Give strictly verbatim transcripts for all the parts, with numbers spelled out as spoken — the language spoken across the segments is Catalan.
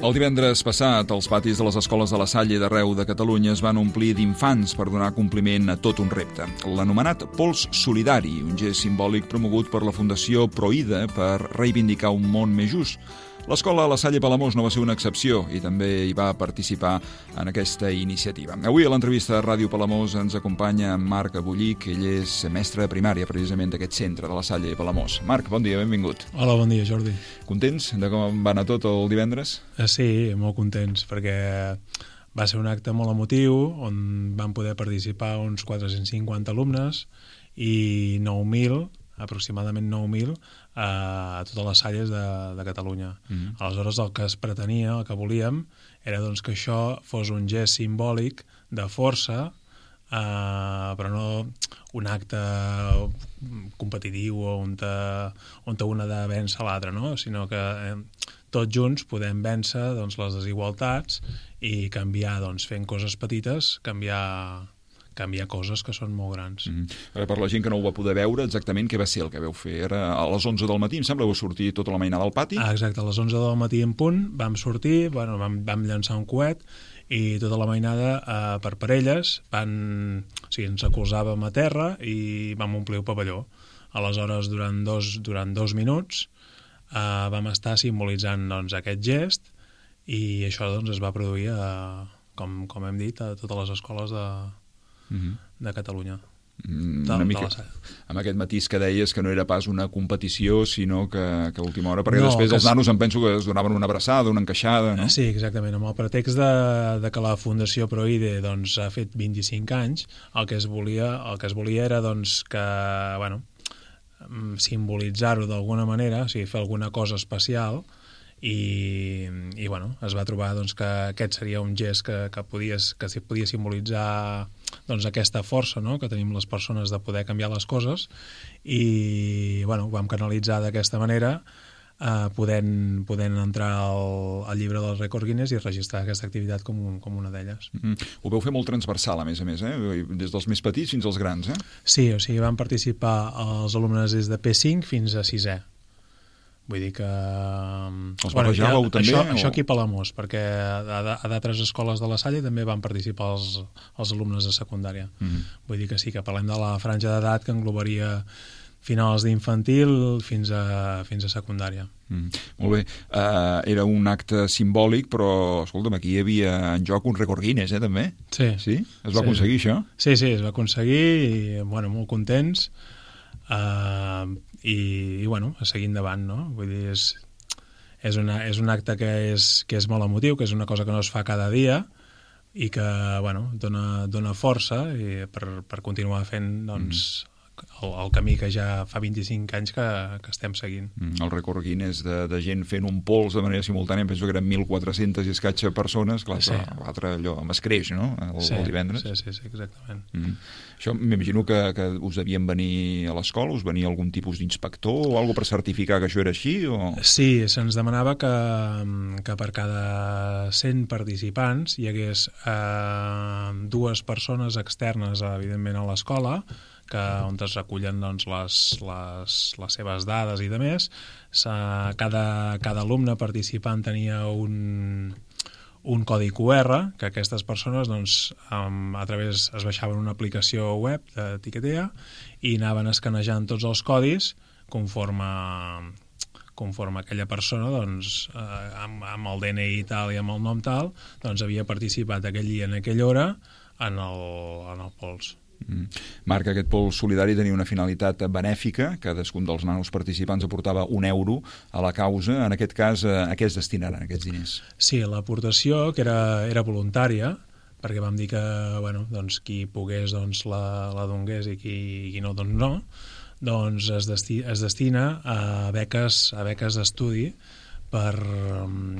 El divendres passat, els patis de les escoles de la Salle d'arreu de Catalunya es van omplir d'infants per donar compliment a tot un repte. L'anomenat Pols Solidari, un gest simbòlic promogut per la Fundació Proïda per reivindicar un món més just. L'escola La Salle Palamós no va ser una excepció i també hi va participar en aquesta iniciativa. Avui a l'entrevista de Ràdio Palamós ens acompanya Marc Bullich, ell és mestre de primària precisament d'aquest centre de La Salle Palamós. Marc, bon dia, benvingut. Hola, bon dia, Jordi. Contents de com va anar tot el divendres? Sí, molt contents, perquè va ser un acte molt emotiu on van poder participar uns quatre-cents cinquanta alumnes i nou mil, aproximadament nou mil, a totes les salles de, de Catalunya. Mm-hmm. Aleshores, el que es pretenia, el que volíem, era doncs, que això fos un gest simbòlic de força, eh, però no un acte competitiu on, te, on te una ha de vèncer l'altre, no? Sinó que eh, tots junts podem vèncer doncs, les desigualtats i canviar, doncs, fent coses petites, canviar... canviar coses que són molt grans. Mm-hmm. Per la gent que no ho va poder veure, exactament què va ser el que vau fer? Era a les onze del matí, em sembla, vau sortir tota la mainada al pati? Ah, exacte, a les onze del matí en punt vam sortir, bueno, vam, vam llançar un coet i tota la mainada eh, per parelles van, o sigui, ens acolzàvem a terra i vam omplir el pavelló. Aleshores, durant dos, durant dos minuts eh, vam estar simbolitzant doncs, aquest gest i això doncs, es va produir, a, com, com hem dit, a totes les escoles de... Mm-hmm. de Catalunya. Mm, una mica amb aquest matís que deies que no era pas una competició, sinó que, que a última hora, perquè no, després els nanos em penso que es donaven una abraçada, una encaixada, no? Sí, exactament, amb el pretext de, de que la Fundació Proïde doncs, ha fet vint-i-cinc anys, el que es volia, el que es volia era doncs, que, bueno, simbolitzar-ho d'alguna manera, o sigui, fer alguna cosa especial. I, i bueno, es va trobar doncs, que aquest seria un gest que, que, podies, que podia simbolitzar doncs, aquesta força, no?, que tenim les persones de poder canviar les coses i bueno, ho vam canalitzar d'aquesta manera, eh, podent, podent entrar al, al llibre del rècord Guinness i registrar aquesta activitat com, un, com una d'elles. Mm-hmm. Ho vau fer molt transversal, a més a més, eh? Des dels més petits fins als grans, eh? Sí, o sigui, van participar els alumnes des de P cinc fins a sisè. Vull dir que... Els barrejàveu bueno, també? Això, o... això aquí a Palamós, perquè a, a d'altres escoles de la Salle també van participar els, els alumnes de secundària. Mm-hmm. Vull dir que sí, que parlem de la franja d'edat que englobaria finals d'infantil fins a, fins a secundària. Mm. Molt bé. Uh, era un acte simbòlic, però, escolta'm, aquí hi havia en joc un rècord Guinness, eh, també? Sí. Sí? Es va sí. aconseguir, això? Sí, sí, es va aconseguir i, bueno, molt contents. Uh, i, i bueno, a seguir endavant, no? Vull dir, és, és, una, és un acte que és, que és molt emotiu, que és una cosa que no es fa cada dia i que, bueno, dona, dona força i per, per continuar fent, doncs, mm. el, el camí que ja fa vint-i-cinc anys que, que estem seguint. Mm, el rècord Guinness de, de gent fent un pols de manera simultània, penso que eren mil quatre-centes i escatxa persones, clar, sí. L'altre allò amb escreix, no?, el, sí, el divendres. Sí, sí, sí, exactament. Mm. Això m'imagino que, que us devien venir a l'escola, us venia algun tipus d'inspector o alguna per certificar que això era així? O... Sí, se'ns demanava que, que per cada cent participants hi hagués eh, dues persones externes, evidentment, a l'escola, que, on es recullen doncs, les, les, les seves dades i de més. Cada, cada alumne participant tenia un... un codi Q R que aquestes persones doncs, um, a través es baixaven una aplicació web de Tiquetea i anaven escanejant tots els codis conforme, conforme aquella persona doncs, eh, amb, amb el D N I tal i amb el nom tal doncs, havia participat aquell dia en aquella hora en el, en el pols. Mm. Marc, aquest pols solidari tenia una finalitat benèfica, cadascun dels nanos participants aportava un euro a la causa. En aquest cas, a què es destinaran aquests diners? Sí, l'aportació, que era, era voluntària, perquè vam dir que bueno, doncs, qui pogués doncs, la, la dongués i qui, qui no, doncs no, doncs es, desti, es destina a beques, a beques d'estudi per, um,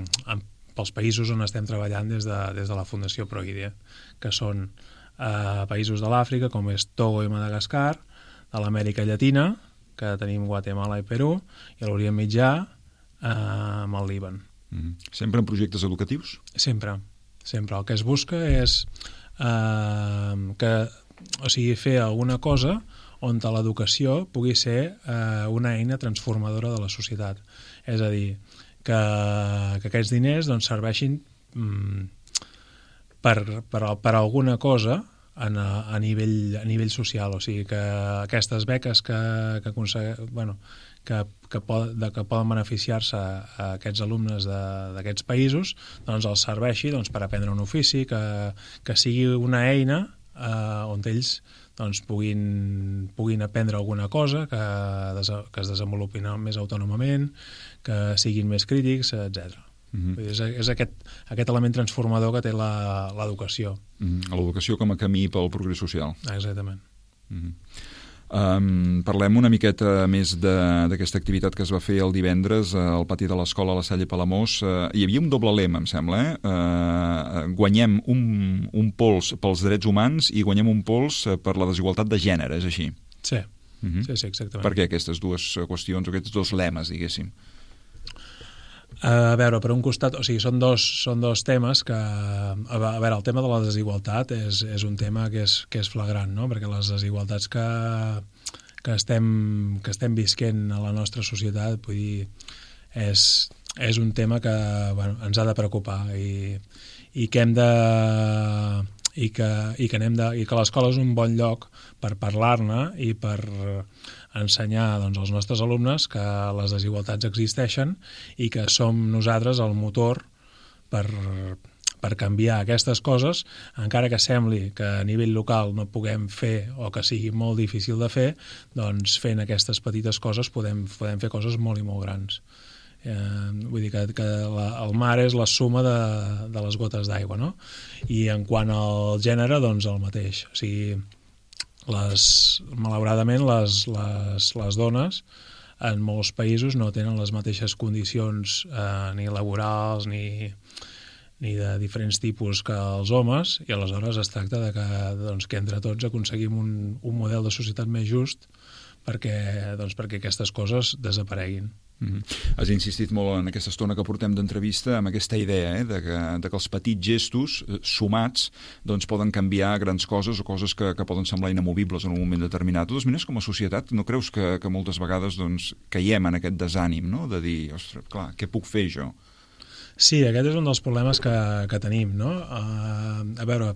pels països on estem treballant des de, des de la Fundació Proïde, que són a països de l'Àfrica, com és Togo i Madagascar, a l'Amèrica Llatina, que tenim Guatemala i Perú, i a l'Orient Mitjà, eh, amb el Líban. Mm. Sempre en projectes educatius? Sempre, sempre. El que es busca és eh, que, o sigui, fer alguna cosa on l'educació pugui ser eh, una eina transformadora de la societat. És a dir, que, que aquests diners doncs, serveixin mm, per, per, per alguna cosa en, a, a, nivell, a nivell social, o sigui que aquestes beques que, que, bueno, que, que, pod, de, que poden beneficiar-se a aquests alumnes d'aquests països, doncs els serveixi doncs, per aprendre un ofici, que, que sigui una eina eh, on ells doncs, puguin, puguin aprendre alguna cosa, que, des, que es desenvolupin més autònomament, que siguin més crítics, etcètera. Mm-hmm. És, és aquest, aquest element transformador que té l'educació. Mm-hmm. L'educació com a camí pel progrés social. Exactament. Mm-hmm. Um, parlem una miqueta més d'aquesta activitat que es va fer el divendres al pati de l'escola a la Salle Palamós. Uh, hi havia un doble lema, em sembla, eh? Uh, guanyem un, un pols pels drets humans i guanyem un pols per la desigualtat de gènere, és així? Sí, uh-huh. sí, sí, exactament. Per què aquestes dues qüestions, aquests dos lemes, diguéssim? A veure, per un costat, o sigui, són dos, són dos temes que, a veure, el tema de la desigualtat és, és un tema que és, que és flagrant, no? Perquè les desigualtats que, que, estem, que estem visquent a la nostra societat, vull dir, és, és un tema que, bueno, ens ha de preocupar i, i que hem de... i que, i que, anem de, i que l'escola és un bon lloc per parlar-ne i per ensenyar doncs, als nostres alumnes que les desigualtats existeixen i que som nosaltres el motor per, per canviar aquestes coses, encara que sembli que a nivell local no puguem fer o que sigui molt difícil de fer, doncs fent aquestes petites coses podem, podem fer coses molt i molt grans. Eh, vull dir que, que la, el mar és la suma de, de les gotes d'aigua, no? I en quant al gènere, doncs el mateix. O sigui, les, malauradament les, les, les dones en molts països no tenen les mateixes condicions eh, ni laborals ni, ni de diferents tipus que els homes, i aleshores es tracta de que, doncs, que entre tots aconseguim un, un model de societat més just perquè, doncs, perquè aquestes coses desapareguin. Mm-hmm. Has insistit molt en aquesta estona que portem d'entrevista amb aquesta idea eh, de, que, de que els petits gestos eh, sumats doncs, poden canviar grans coses o coses que, que poden semblar inamovibles en un moment determinat. De totes maneres, com a societat, no creus que, que moltes vegades doncs, caiem en aquest desànim, no? De dir, ostres, clar, què puc fer jo? Sí, aquest és un dels problemes que, que tenim, no? Uh, a veure,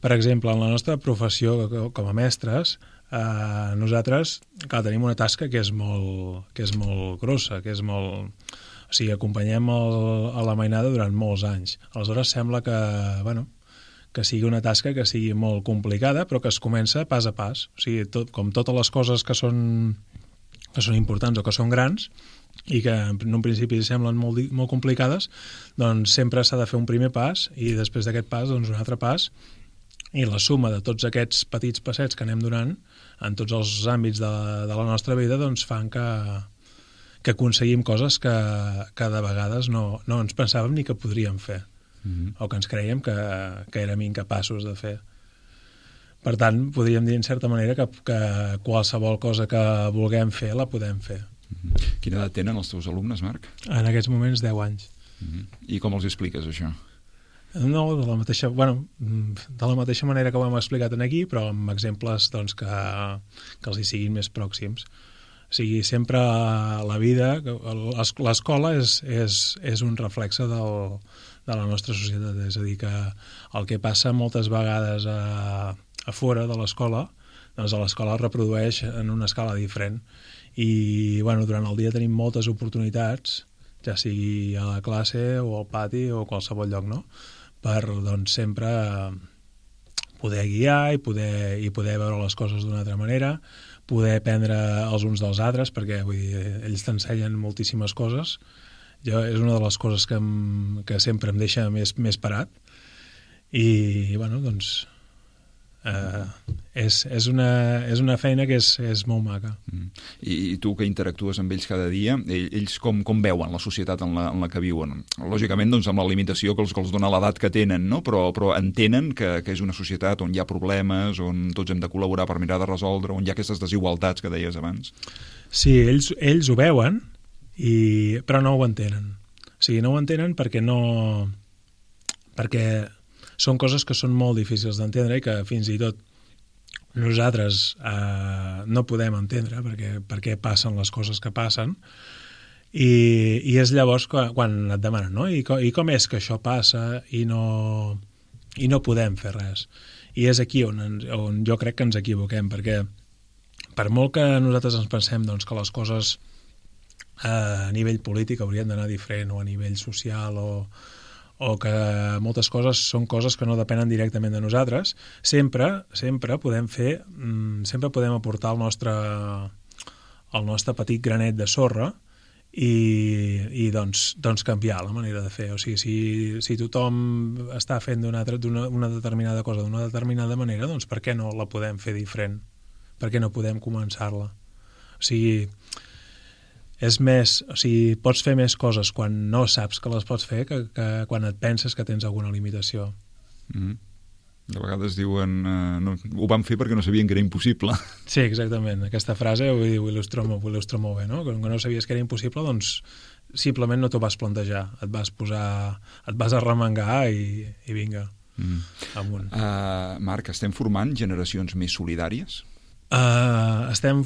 per exemple, en la nostra professió com a mestres, Uh, nosaltres, clar, tenim una tasca que és molt, que és molt grossa, que és molt... O sigui, acompanyem el, a la mainada durant molts anys. Aleshores sembla que, bueno, que sigui una tasca que sigui molt complicada, però que es comença pas a pas. O sigui, tot, com totes les coses que són, que són importants o que són grans i que en un principi semblen molt, molt complicades, doncs sempre s'ha de fer un primer pas i després d'aquest pas, doncs un altre pas, i la suma de tots aquests petits passets que anem donant en tots els àmbits de, de la nostra vida doncs fan que, que aconseguim coses que, que de vegades no, no ens pensàvem ni que podríem fer, mm-hmm. o que ens creiem que, que érem incapaços de fer. Per tant, podríem dir en certa manera que, que qualsevol cosa que vulguem fer la podem fer. Mm-hmm. Quina edat tenen els teus alumnes, Marc? En aquests moments deu anys. Mm-hmm. I com els expliques això? No, de la mateixa, bueno, de la mateixa manera que ho hem explicat aquí, però amb exemples doncs, que, que els hi siguin més pròxims. O sigui, sempre la vida, l'escola és, és, és un reflexe del, de la nostra societat, és a dir, que el que passa moltes vegades a, a fora de l'escola, doncs a l'escola es reprodueix en una escala diferent. I bueno, durant el dia tenim moltes oportunitats, ja sigui a la classe o al pati o a qualsevol lloc, no?, per doncs, sempre poder guiar i poder, i poder veure les coses d'una altra manera, poder aprendre els uns dels altres, perquè vull dir, ells t'ensenyen moltíssimes coses. Jo, és una de les coses que, em, que sempre em deixa més, més parat. I, bueno, doncs, eh, és, és, una, és una feina que és, és molt maca. Mm. I, I tu que interactues amb ells cada dia, ells com, com veuen la societat en la, en la que viuen? Lògicament, doncs, amb la limitació que els, que els dona l'edat que tenen, no? però, però entenen que, que és una societat on hi ha problemes, on tots hem de col·laborar per mirar de resoldre, on hi ha aquestes desigualtats que deies abans. Sí, ells, ells ho veuen, i, però no ho entenen. O sigui, no ho entenen perquè no... perquè són coses que són molt difícils d'entendre i que fins i tot nosaltres eh, no podem entendre perquè, perquè passen les coses que passen, I, i és llavors quan, quan et demanen, no? I, co, I com és que això passa i no, i no podem fer res? I és aquí on, ens, on jo crec que ens equivoquem, perquè per molt que nosaltres ens pensem doncs, que les coses eh, a nivell polític haurien d'anar diferent, o a nivell social, o, o que moltes coses són coses que no depenen directament de nosaltres, sempre, sempre podem fer, sempre podem aportar el nostre, el nostre petit granet de sorra i, i doncs, doncs canviar la manera de fer. O sigui, si, si tothom està fent d'una una determinada cosa d'una determinada manera, doncs per què no la podem fer diferent? Per què no podem començar-la? O sigui, és més, o sigui, pots fer més coses quan no saps que les pots fer que, que quan et penses que tens alguna limitació. Mm-hmm. De vegades diuen eh, no, ho van fer perquè no sabien que era impossible. Sí, exactament. Aquesta frase ho, ho, il·lustra, ho il·lustra molt bé, no? Com que no sabies que era impossible, doncs simplement no t'ho vas plantejar. Et vas posar, et vas arremangar i, i vinga, mm. amunt. Uh, Marc, estem formant generacions més solidàries? Uh, estem,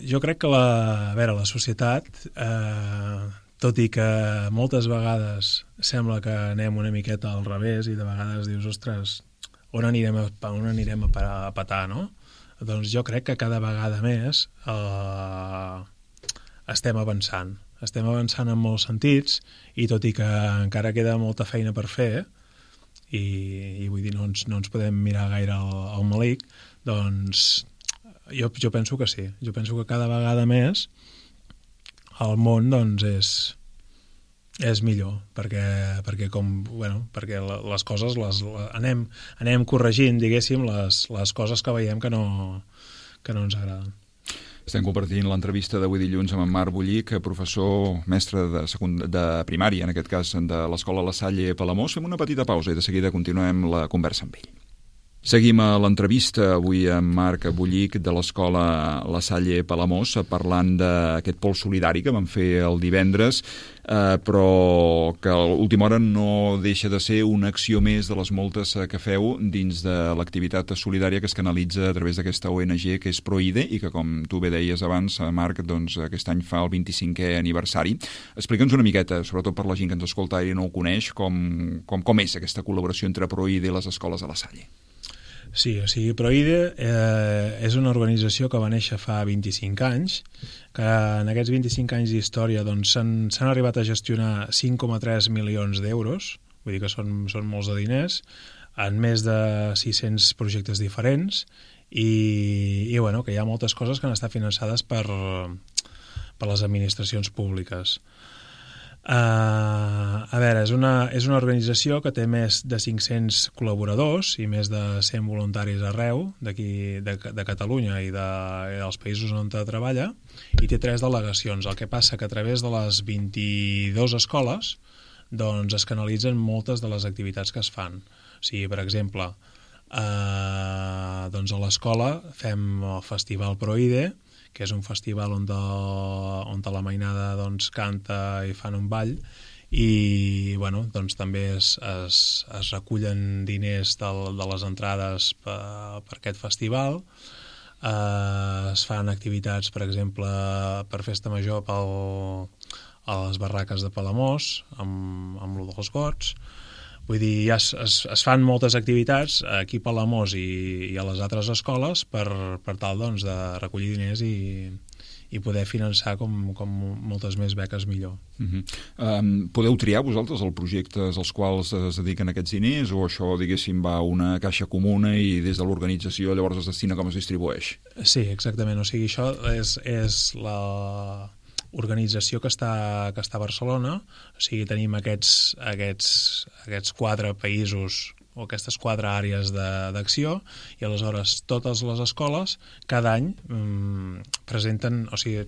jo crec que la, a veure, la societat, uh, tot i que moltes vegades sembla que anem una miqueta al revés i de vegades dius, ostres, on anirem a, on anirem a, parar, a petar, no? Doncs jo crec que cada vegada més uh, estem avançant. Estem avançant en molts sentits i tot i que encara queda molta feina per fer i, i vull dir, no ens, no ens podem mirar gaire al, al malic, doncs jo, jo penso que sí. Jo penso que cada vegada més el món doncs és, és millor, perquè, perquè, com, bueno, perquè les coses les, les, anem, anem corregint, diguéssim, les, les coses que veiem que no, que no ens agraden. Estem compartint l'entrevista d'avui dilluns amb en Marc Bullich, professor mestre de, secund... de primària, en aquest cas de l'Escola La Salle Palamós. Fem una petita pausa i de seguida continuem la conversa amb ell. Seguim a l'entrevista avui amb Marc Bullich de l'Escola La Salle Palamós, parlant d'aquest pols solidari que vam fer el divendres, eh, però que a l'última hora no deixa de ser una acció més de les moltes que feu dins de l'activitat solidària que es canalitza a través d'aquesta O N G que és Proide i que, com tu bé deies abans, Marc, doncs, aquest any fa el vint-i-cinquè aniversari. Explica'ns una miqueta, sobretot per la gent que ens escolta i no ho coneix, com, com, com és aquesta col·laboració entre Proide i les escoles de La Salle. Sí, o sigui, Proide eh, és una organització que va néixer fa vint-i-cinc anys, que en aquests vint-i-cinc anys d'història doncs, s'han arribat a gestionar cinc coma tres milions d'euros, vull dir que són, són molts de diners, en més de sis-cents projectes diferents, i, i bueno, que hi ha moltes coses que han estat finançades per, per les administracions públiques. Uh, a veure, és una, és una organització que té més de cinc-cents col·laboradors i més de cent voluntaris arreu d'aquí de, de Catalunya i, de, i dels països on treballa, i té tres delegacions. El que passa que a través de les vint-i-dues escoles doncs es canalitzen moltes de les activitats que es fan. O sigui, per exemple, uh, doncs a l'escola fem el Festival Proide, que és un festival on, de, on de la mainada doncs, canta i fan un ball, i bueno, doncs, també es, es, es recullen diners de, de les entrades per, per aquest festival. Eh, es fan activitats, per exemple, per Festa Major pel, a les barraques de Palamós, amb, amb lo dels gots. Vull dir, ja es, es, es fan moltes activitats aquí a Palamós i, i a les altres escoles per, per tal doncs, de recollir diners i, i poder finançar com, com moltes més beques millor. Uh-huh. um, podeu triar vosaltres els projectes als quals es dediquen aquests diners o això, diguéssim, va a una caixa comuna i des de l'organització llavors es destina com es distribueix? Sí, exactament. O sigui, això és, és la organització que està, que està a Barcelona. O sigui, tenim aquests, aquests, aquests quatre països o aquestes quatre àrees d'acció i aleshores totes les escoles cada any mmm, presenten, o sigui,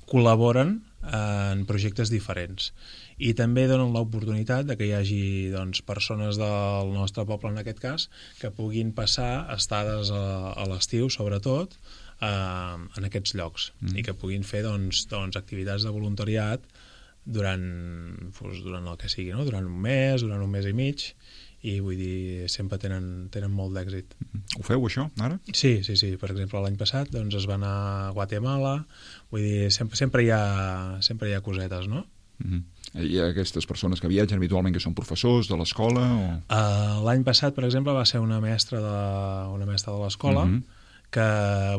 col·laboren en projectes diferents i també donen l'oportunitat de que hi hagi doncs, persones del nostre poble, en aquest cas, que puguin passar estades a, a l'estiu, sobretot, eh, en aquests llocs mm. i que puguin fer doncs, doncs, activitats de voluntariat durant, doncs, durant el que sigui, no? Durant un mes, durant un mes i mig, i vull dir, sempre tenen, tenen molt d'èxit. Ho feu, això, ara? Sí, sí, sí. Per exemple, l'any passat doncs, es va anar a Guatemala, vull dir, sempre, sempre, hi, ha, sempre hi ha cosetes, no? Mm-hmm. Hi ha aquestes persones que viatgen habitualment que són professors de l'escola? O... Uh, l'any passat, per exemple, va ser una mestra de, una mestra de l'escola, mm-hmm. que,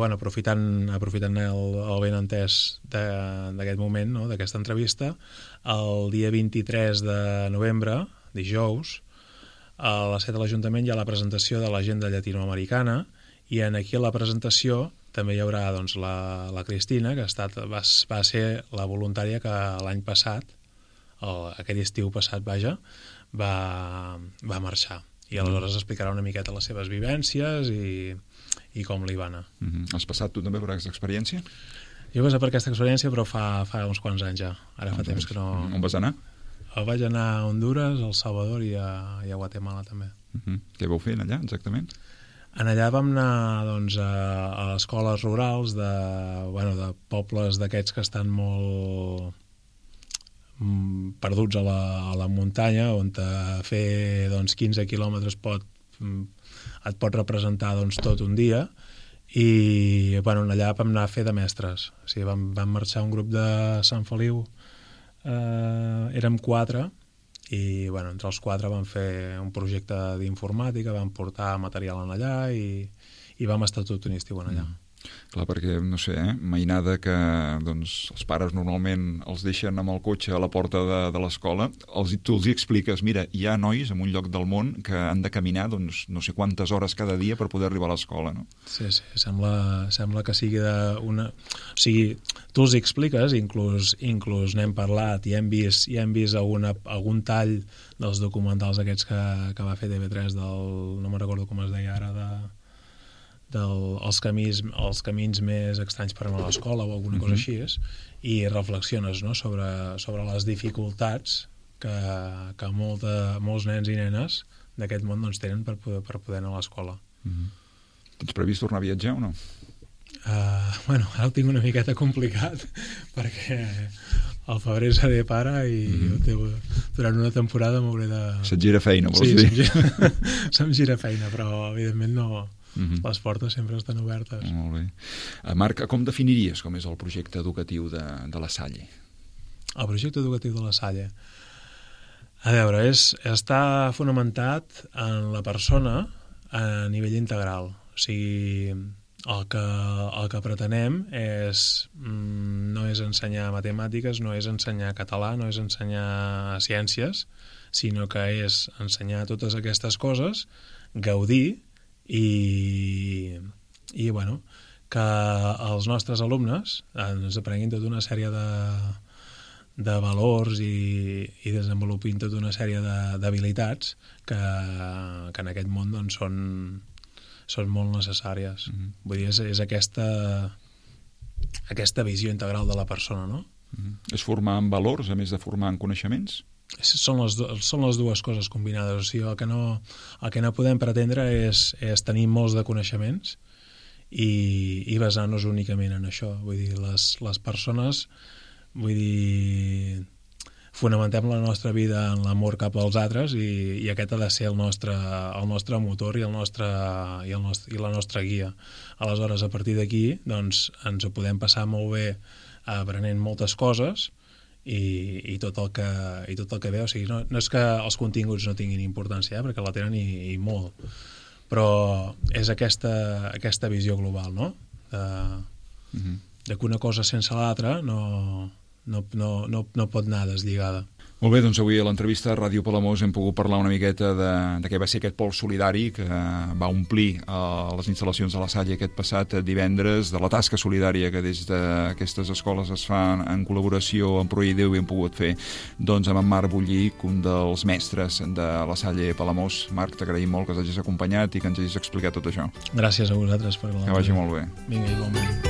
bueno, aprofitant, aprofitant el, el ben entès d'aquest moment, no?, d'aquesta entrevista, el dia vint-i-tres de novembre, dijous, a les set de l'Ajuntament hi ha la presentació de l'agenda llatinoamericana i en aquí a la presentació també hi haurà doncs, la, la Cristina, que ha estat, va, va ser la voluntària que l'any passat, el, aquell estiu passat, vaja, va, va marxar. I aleshores explicarà una miqueta les seves vivències i, i com li va anar. Mm-hmm. Has passat tu també per aquesta experiència? Jo he passat per aquesta experiència, però fa, fa uns quants anys ja. Ara fa temps que no... On vas anar? Vaig anar a Honduras, a El Salvador i a, i a Guatemala també. Uh-huh. Què vau fer allà, exactament? En allà vam anar doncs, a, a escoles rurals de, bueno, de pobles d'aquests que estan molt mm, perduts a la, a la muntanya, on a fer doncs, quinze quilòmetres pot, et pot representar doncs, tot un dia, i bueno, allà vam anar a fer de mestres. O sigui, vam, vam marxar un grup de Sant Feliu. Uh, érem quatre i bueno, entre els quatre vam fer un projecte d'informàtica, vam portar material en allà i, i vam estar tot un estiu en allà. Mm. Clar, perquè, no sé, eh, mainada que doncs, els pares normalment els deixen amb el cotxe a la porta de, de l'escola, els, tu els hi expliques, mira, hi ha nois en un lloc del món que han de caminar doncs, no sé quantes hores cada dia per poder arribar a l'escola, no? Sí, sí, sembla, sembla que sigui de una... O sigui, tu els hi expliques, inclús, inclús n'hem parlat i hem vist, i hem vist alguna, algun tall dels documentals aquests que, que va fer T V tres del... no me'n recordo com es deia ara, de... Del, els, camins, els camins més estranys per anar a l'escola o alguna cosa així és, i reflexiones, no?, sobre, sobre les dificultats que, que molt de, molts nens i nenes d'aquest món doncs, tenen per poder, per poder anar a l'escola. Mm-hmm. Tens previst tornar a viatjar o no? Uh, bueno, ara ho tinc una miqueta complicat perquè al febrer seré pare i mm-hmm. durant una temporada m'hauré de... Se't gira feina, vols sí, dir? Sí, se'm gira, se'm gira feina, però evidentment no... Mm-hmm. Les portes sempre estan obertes. Molt bé. Marc, com definiries com és el projecte educatiu de, de la Salle? El projecte educatiu de la Salle? A veure, és, està fonamentat en la persona a nivell integral. O sigui, el que, el que pretenem és, no és ensenyar matemàtiques, no és ensenyar català, no és ensenyar ciències, sinó que és ensenyar totes aquestes coses, gaudir i, i bueno, que els nostres alumnes ens aprenguin tota una sèrie de, de valors i, i desenvolupin tota una sèrie d'habilitats que, que en aquest món doncs, són, són molt necessàries. Mm-hmm. Vull dir, és, és aquesta, aquesta visió integral de la persona, no? Mm-hmm. És formar en valors, a més de formar en coneixements? Són les, són les dues coses combinades. O sigui, el que no, el que no podem pretendre és, és tenir molts de coneixements i, i basar-nos únicament en això. Vull dir, les, les persones, vull dir, fonamentem la nostra vida en l'amor cap als altres i, i aquest ha de ser el nostre, el nostre motor i, el nostre, i, el nostre, i la nostra guia. Aleshores, a partir d'aquí, doncs, ens ho podem passar molt bé aprenent moltes coses i, i, tot el que, i tot el que ve, o sigui, no, no és que els continguts no tinguin importància, eh, perquè la tenen i, i molt, però és aquesta, aquesta visió global, no? De, mm-hmm. de que una cosa sense l'altra no, no, no, no, no pot anar deslligada. Molt bé, doncs avui a l'entrevista a Ràdio Palamós hem pogut parlar una miqueta de, de què va ser aquest pols solidari que va omplir uh, les instal·lacions de la Salle aquest passat divendres, de la tasca solidària que des d'aquestes escoles es fa en col·laboració amb Proideu i hem pogut fer doncs, amb en Marc Bullic, un dels mestres de la Salle Palamós. Marc, t'agraïm molt que ens hagis acompanyat i que ens hagis explicat tot això. Gràcies a vosaltres per la... Que vagi molt bé. Vinga, igualment.